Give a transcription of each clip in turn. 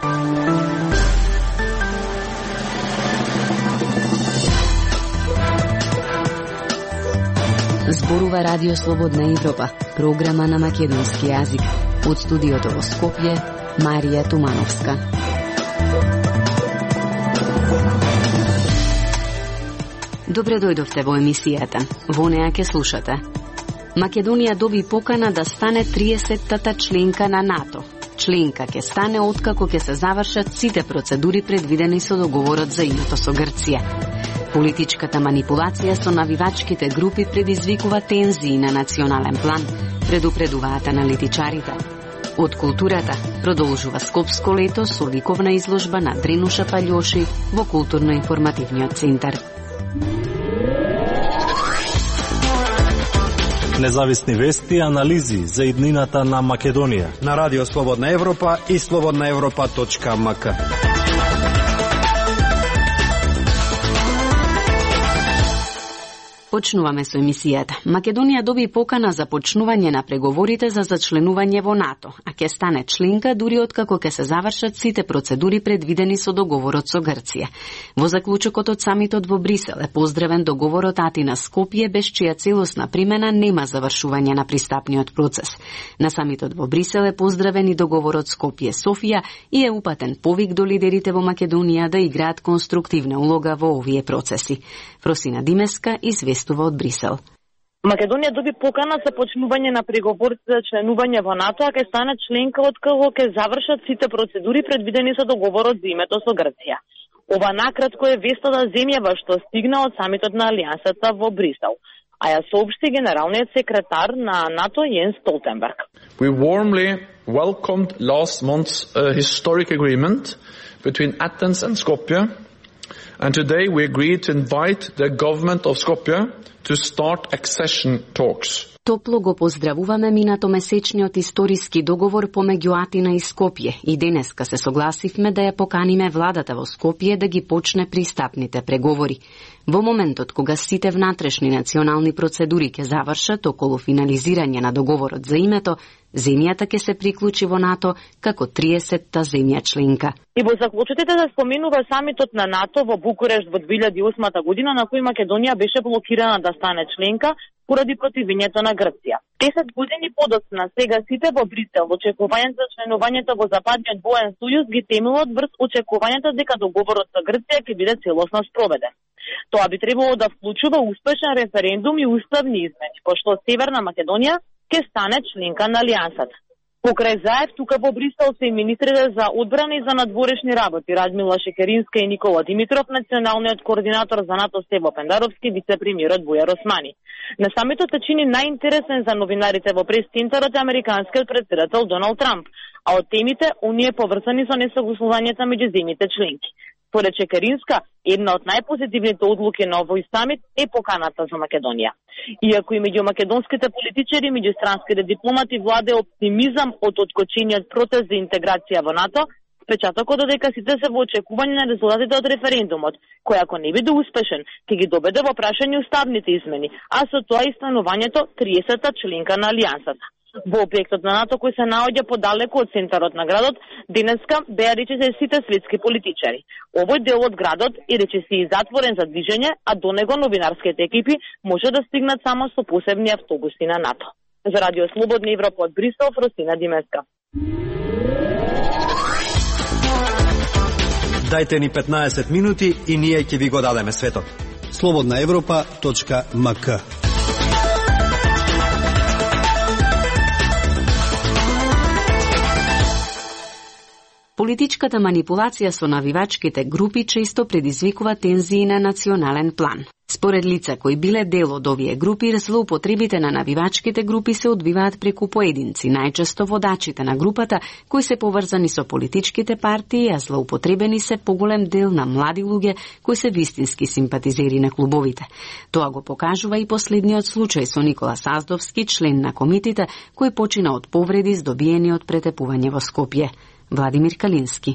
Зборува Радио Слободна Европа, програма на македонски јазик. Од студиото во Скопје, Марија Тумановска. Добре дојдовте во емисијата. Во неа ќе слушате. Македонија доби покана да стане 30-тата членка на НАТО. Членка ќе стане откако ќе се завршат сите процедури предвидени со договорот за името со Грција. Политичката манипулација со навивачките групи предизвикува тензии на национален план, предупредуваат аналитичарите. Од културата продолжува Скопско лето со ликовна изложба на Дренуша Паљоши во културно-информативниот центар. Независни вести и анализи за иднината на Македонија на Радио Слободна Европа и slobodnaevropa.mk. Почнуваме со емисијата. Македонија доби покана за почнување на преговорите за зачленување во НАТО, а ќе стане членка дури откако ќе се завршат сите процедури предвидени со договорот со Грција. Во заклучокот од самитот во Брисел е поздравен договорот Атина-Скопје, без чија целосна примена нема завршување на пристапниот процес. На самитот во Брисел е поздравен и договорот Скопје-Софија и е упатен повик до лидерите во Македонија да играат конструктивна улога во овие процеси. Фросина Димеска известува од Брисел. Македонија доби покана за почнување на преговорите за членување во НАТО, а ќе стане членка откако ќе завршат сите процедури предвидени со договорот за името со Грција. Ова накратко е веста земјава што стигна од самитот на Алијансата во Брисел, а ја соопшти генералниот секретар на НАТО Јенс Столтенберг. We warmly welcomed last month's historic agreement between Athens and Skopje. And today we agreed to invite the government of Skopje to start accession talks. Топло го поздравуваме минатомесечниот историски договор помеѓу Атина и Скопје и денеска се согласивме да ја поканиме владата во Скопје да ги почне пристапните преговори. Во моментот кога сите внатрешни национални процедури ќе завршат околу финализирање на договорот за името, земјата ќе се приклучи во НАТО како 30-та земја членка. И во заклучоките да споменува самитот на НАТО во Букурешт во 2008 година, на кој Македонија беше блокирана да стане членка поради противењето на Грција. 10 години подоцна, сега сите во Брисел, очекувањето за членувањето во Западниот воен сојуз ги темелат врз очекувањето дека договорот со Грција ќе биде целосно спроведен. Тоа би требало да вклучува успешен референдум и уставни измени, пошто Северна Македонија ќе стане членка на Алијансата. Покрај заев, тука во Брисел се и министрите за одбрана и за надворешни работи Радмила Шекеринска и Никола Димитров, националниот координатор за НАТО Стево Пендаровски, вице-премиерот Бујар Османи. На самитот се чини најинтересен за новинарите во прес-центарот американскиот претседател Доналд Трамп, а од темите оние поврзани со несогласувањето меѓу земјите членки. Според Шекеринска, една од најпозитивните одлуки на овој самит е поканата за Македонија. Иако и меѓу македонските политичари и меѓу странските дипломати владе оптимизам од откочениот протест за интеграција во НАТО, впечатокот додека сите се во очекување на резултатите од референдумот, кој ако не биде успешен, ќе ги доведе во прашање уставните измени, а со тоа и станувањето 30-та членка на Алијансата. Во објектот на НАТО, кој се наоѓа подалеку од центарот на градот, денеска беа речиси сите светски политичари. Овој дел од градот е речиси затворен за движење, а до него новинарските екипи може да стигнат само со посебни автобуси на НАТО. За Радио Слободна Европа од Брисел, Фросина Димеска. Дајте ни 15 минути и ние ќе ви го дадеме светот. slobodnaevropa.mk. Политичката манипулација со навивачките групи често предизвикува тензии на национален план. Според лица кои биле дел од овие групи, злоупотребите на навивачките групи се одвиваат преку поединци, најчесто водачите на групата, кои се поврзани со политичките партии, а злоупотребени се поголем дел на млади луѓе кои се вистински симпатизери на клубовите. Тоа го покажува и последниот случај со Никола Саздовски, член на комитета, кој почина од повреди здобиени од претепување во Скопје. Владимир Калински.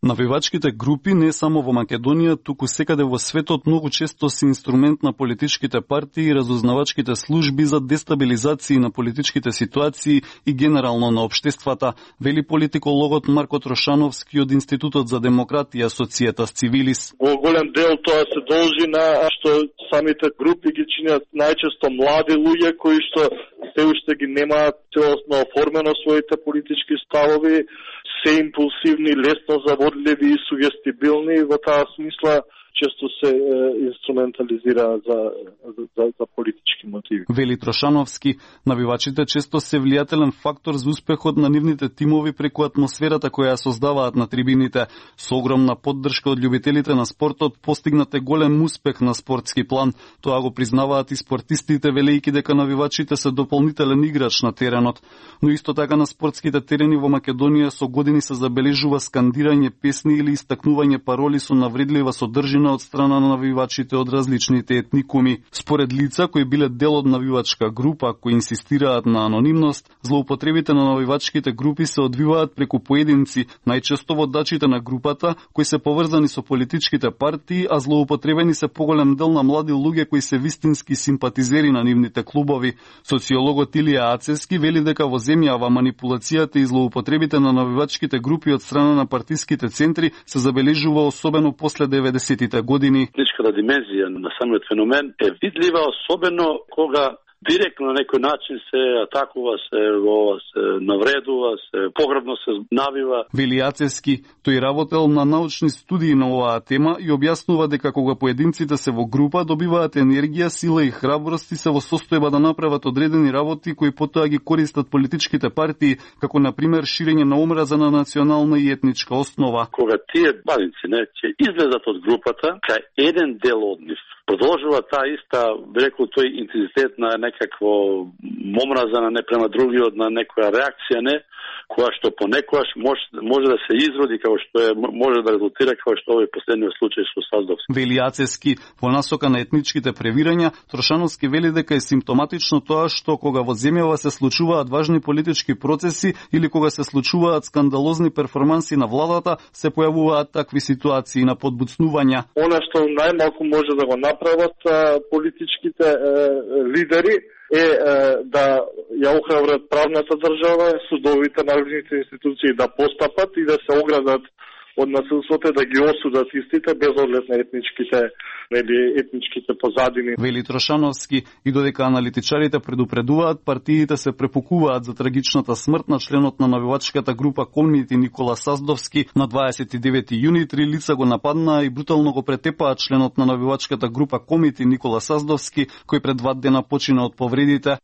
Навивачките групи не само во Македонија, туку секаде во светот многу често се инструмент на политичките партии и разузнавачките служби за дестабилизација на политичките ситуации и генерално на општествата, вели политикологот Марко Трошановски од Институтот за демократија Societas Civilis. Во голем дел тоа се должи на што самите групи ги чинат најчесто млади луѓе кои што се уште ги немаат целосно оформено своите политички ставови, се импулсивни, лесно заводливи и сугестибилни, во таа смисла често се инструментализира за политички мотиви. Вели Трошановски, навивачите често се влијателен фактор за успехот на нивните тимови преку атмосферата која ја создаваат на трибините. Со огромна поддршка од љубителите на спортот постигнате голем успех на спортски план. Тоа го признаваат и спортистите, велејќи дека навивачите се дополнителен играч на теренот. Но исто така на спортските терени во Македонија со години се забележува скандирање песни или истакнување пароли со навредлива содржина од страна на навивачите од различните етникуми. Според лица кои биле дел од навивачка група, кои инсистираат на анонимност, злоупотребите на навивачките групи се одвиваат преку поединци, најчесто водачите на групата, кои се поврзани со политичките партии, а злоупотребени се поголем дел на млади луѓе кои се вистински симпатизери на нивните клубови. Социологот Илија Ацевски вели дека во земјава манипулацијата и злоупотребите на навивачките групи од страна на партиските центри се забележува особено после 90-тите години. Политичката димензија на самиот феномен е видлива, особено кога директно на некој начин се атакува, се навредува, се погребно се навива. Вели Ацевски, тој работел на научни студии на оваа тема и објаснува дека кога поединците се во група, добиваат енергија, сила и храброст и се во состојба да направат одредени работи кои потоа ги користат политичките партии, како на пример ширење на омраза на национална и етничка основа. Кога тие бавинци ќе излезат од групата, кај еден дел од нив продолжува таа иста, би рекол, тој интензитет на некакво омраза на не према другиот, на некоја реакција, не, која што понекогаш може да се изроди, како што може да резултира како што овој последниот случај со Саздовски. Вели Ацевски, во насока на етничките превирања, Трошановски вели дека е симптоматично тоа што кога во земјава се случуваат важни политички процеси или кога се случуваат скандалозни перформанси на владата, се појавуваат такви ситуации на подбуцнувања. Она што најмалку може да го направат политичките лидери е да ја охрабрат правната држава, судовите, надležните институции да постапат и да се оградат од насилството, да ги осудат истите без оглед на етничките позадини. Вели Трошановски, и додека аналитичарите предупредуваат, партиите се препукуваат за трагичната смрт на членот на навивачката група Комити Никола Саздовски. На 29 јуни 3 лица го нападнаа и брутално го претепаат членот на навивачката група Комити Никола Саздовски, кој пред 2 дена почина од повредите.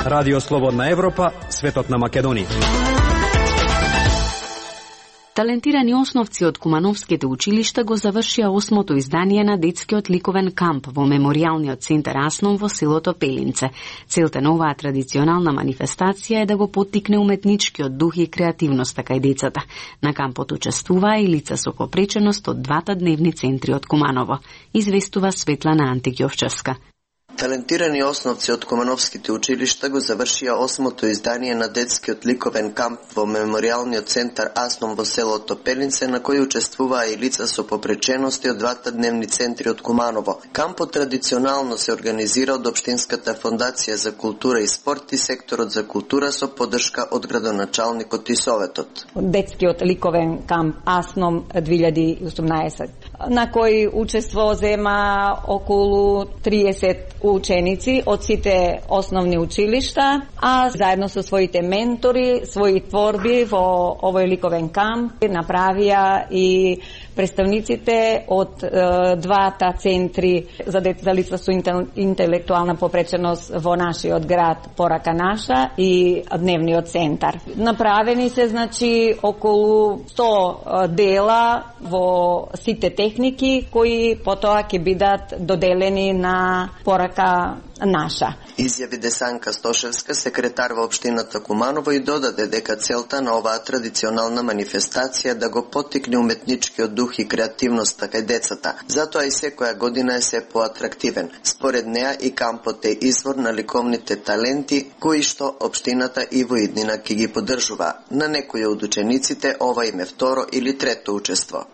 Радио Слободна Европа, светот на Македонија. Талентирани основци од кумановските училишта го завршија 8-то издание на детскиот ликовен камп во меморијалниот центар Асном во селото Пелинце. Целта на оваа традиционална манифестација е да го поттикне уметничкиот дух и креативноста кај децата. На кампот учествуваа и лица со попреченост од 2 дневни центри од Куманово, известува Светлана Антиќовчевска. Талентирани основци од кумановските училишта го завршија 8-то издание на детскиот ликовен камп во меморијалниот центар Асном во селото Пелинце, на кој учествуваа и лица со попречености од 2 дневни центри од Куманово. Кампот традиционално се организира од Општинската фондација за култура и спорт и секторот за култура со поддршка од градоначалникот и советот. Детскиот ликовен камп Асном 2018, на кој учество зема околу 30 ученици од сите основни училишта, а заедно со своите ментори, своји творби во овој ликовен камп направија и представниците од 2 центри за лица со интелектуална попреченост во нашиот град Порака Наша и дневниот центар. Направени се околу 100 дела во сите техники кои потоа ќе бидат доделени на порака наша. Изјави Десанка Стошевска, секретар во општината Куманово, и додаде дека целта на оваа традиционална манифестација да го поттикне уметничкиот дух и креативноста кај децата. Затоа и секоја година е се поатрактивен. Според неа и кампот е извор на ликовните таленти кои што општината и во иднина ќе ги поддржува. На некои од учениците ова им е второ или трето учество.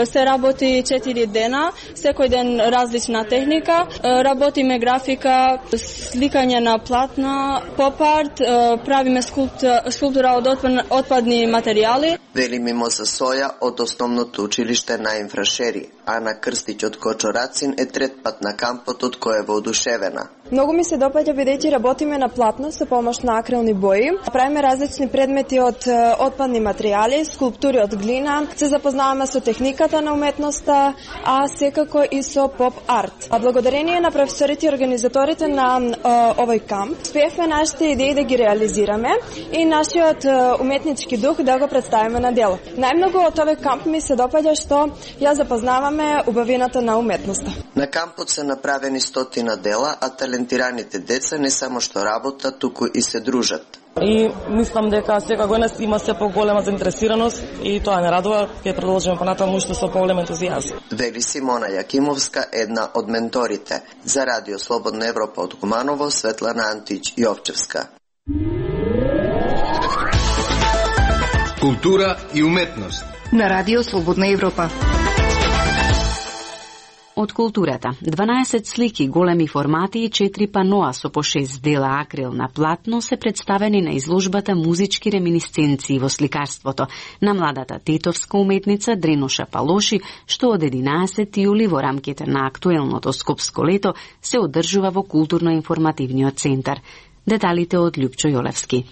Се работи 4 дена, секој ден различна техника. Работиме графика, сликање на платна, поп-арт, правиме скулптура од отпадни материјали. Вели Мимоза Соја од основното училиште на Инфрашери. Ана Крстич од Кочорацин е трет пат на кампот, од кој е воодушевена. Многу ми се допаѓа бидејќи работиме на платно со помош на акрилни бои. Правиме различни предмети од отпадни материјали, скулптури од глина, се запознаваме со техниката на уметноста, а секако и со поп-арт. А благодарение на професорите и организаторите на овој камп, успеевме нашите идеи да ги реализираме и нашиот уметнички дух да го представиме на дело. Најмногу од овој камп ми се допаѓа што ја запознаваме убавината на уметноста. На кампот се направени 100 дела, а талентираните деца не само што работат, туку и се дружат. И мислам дека секоја година има се поголема заинтересираност и тоа не радува, ќе продолжиме понатаму уште со поголем ентузијазм. Вели Симона Јакимовска, една од менторите. За Радио Слободна Европа од Куманово, Светлана Антич Јовчевска. Култура и уметност на Радио Слободна Европа. Од културата, 12 слики, големи формати и 4 паноа со по 6 дела акрил на платно се представени на изложбата Музички реминисценции во сликарството на младата тетовска уметница Дренуша Палоши, што од 11 јули во рамките на актуелното скопско лето се одржува во културно-информативниот центар. Деталите од Љупчо Јолевски.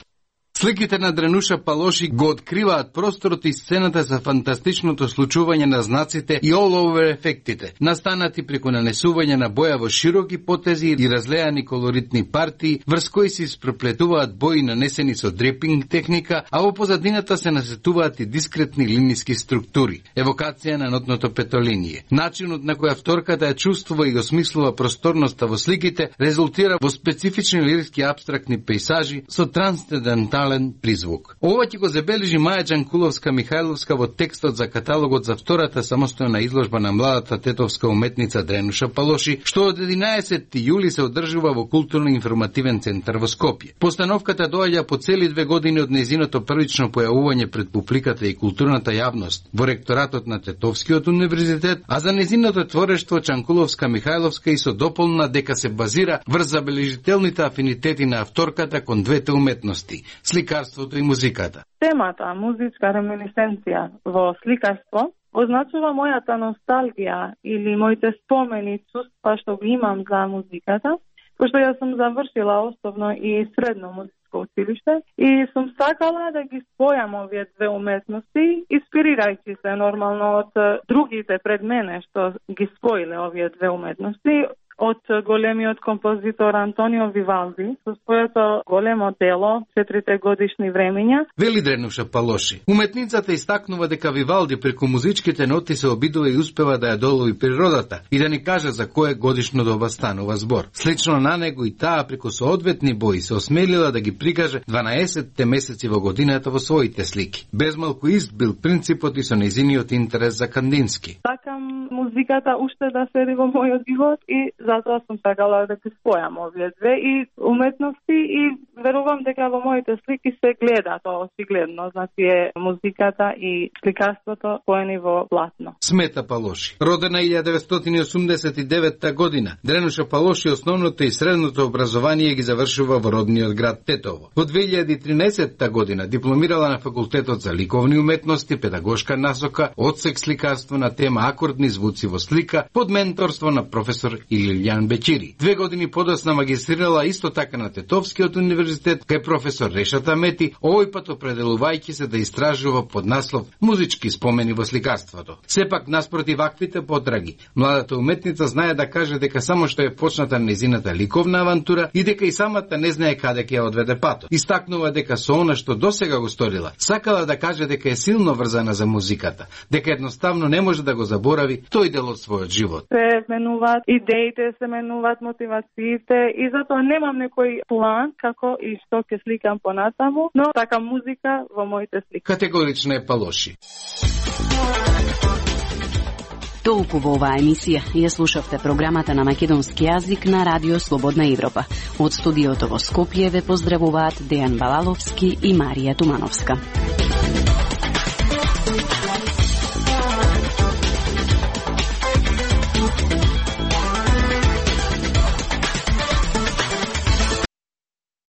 Сликите на Дренуша Палоши го откриваат просторот и сцената за фантастичното случување на знаците и all-over ефектите, настанати преку нанесување на боја во широки потези и разлеани колоритни партии, врз кои се испреплетуваат бои нанесени со дрепинг техника, а во позадината се насетуваат и дискретни линиски структури, евокација на нотното петолиние. Начинот на кој авторката ја чувствува и осмислува просторноста во сликите резултира во специфични лирски апстрактни пейзажи со трансцендентален призвук. Ова ќе го забележи Маја Џанкуловска-Михајловска во текстот за каталогот за втората самостојна изложба на младата тетовска уметница Дренуша Палоши, што од 11 јули се одржува во културно-информативен центар во Скопје. Постановката доаѓа по цели 2 години од нејзиното првично појавување пред публиката и културната јавност во ректоратот на Тетовскиот универзитет, а за нејзиното творештво Џанкуловска-Михајловска и со дополна дека се базира врз забележителните афинитети на авторката кон двете уметности – сликарството и музиката. Темата музичка реминисценција во сликарство означува мојата носталгија или моите спомени, чувства што ги имам за музиката, пошто јас сум завршила основно и средно музичко училиште и сум сакала да ги спојам овие две уметности, инспирирајќи се нормално од другите пред мене што ги споиле овие две уметности, од големиот композитор Антонио Вивалди со своето големо дело 4 годишни времиња. Вели Дренуша Палоши. Уметницата истакнува дека Вивалди преку музичките ноти се обидува и успева да ја долови природата и да ни каже за кое годишно доба станува збор. Слично на него и таа преку соодветни бои се осмелила да ги прикаже 12 месеци во годината во своите слики. Безмалку ист бил принципот и со нејзиниот интерес за Кандински. Сакам музиката уште да седи во мојот живот и затоа сум сакала да ги спојам овие две и уметности и верувам дека во моите слики се гледа тоа очигледно, значи е музиката и сликарството споени во платно. Смета Палоши. Родена 1989 година, Дренуша Палоши основното и средното образование ги завршува во родниот град Тетово. Во 2013 година дипломирала на факултетот за ликовни уметности, педагошка насока, одсек сликарство на тема акордни звуци во слика под менторство на професор Илијан Бечири. 2 години подоцна магистрирала исто така на Тетовскиот универзитет универзитет кај професор Решата Мети, овој пат определувајќи се да истражува под наслов Музички спомени во сликарството. Сепак наспроти ваквите потраги, младата уметница знае да каже дека само што е почната незината ликовна авантура и дека и самата не знае каде ќе ја одведе патот. Истакнува дека со она што досега го сторила, сакала да каже дека е силно врзана за музиката, дека едноставно не може да го заборави тој дел од својот живот. Се менуваат идеите, се менуваат мотивациите и затоа немам некој план како и што ќе сликам понатаму, но така музика во моите слики. Категорично е Палоши. Толку во оваа емисија. Ја слушавте програмата на македонски јазик на Радио Слободна Европа. Од студиото во Скопје ве поздравуваат Дејан Балаловски и Марија Тумановска.